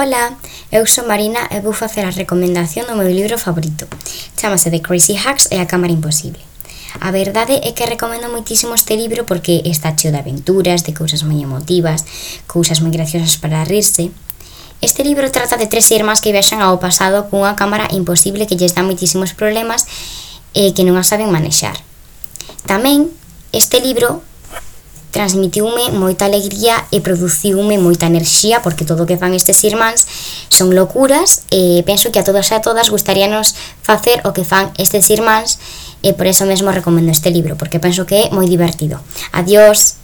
Ola, eu sou Marina e vou facer a recomendación do meu libro favorito. Chámase The Crazy Hacks e a Cámara Imposible. A verdade é que recomendo moitísimo este libro porque está cheo de aventuras, de cousas moi emotivas, cousas moi graciosas para rirse. Este libro trata de tres irmás que viaxan ao pasado cunha cámara imposible que lles dá moitísimos problemas e que non a saben manexar. Tamén, este libro transmitiume moita alegría e produciume moita enerxía porque todo o que fan estes irmáns son locuras e penso que a todos e a todas gustaríanos facer o que fan estes irmáns e por eso mesmo recomendo este libro porque penso que é moi divertido. Adiós!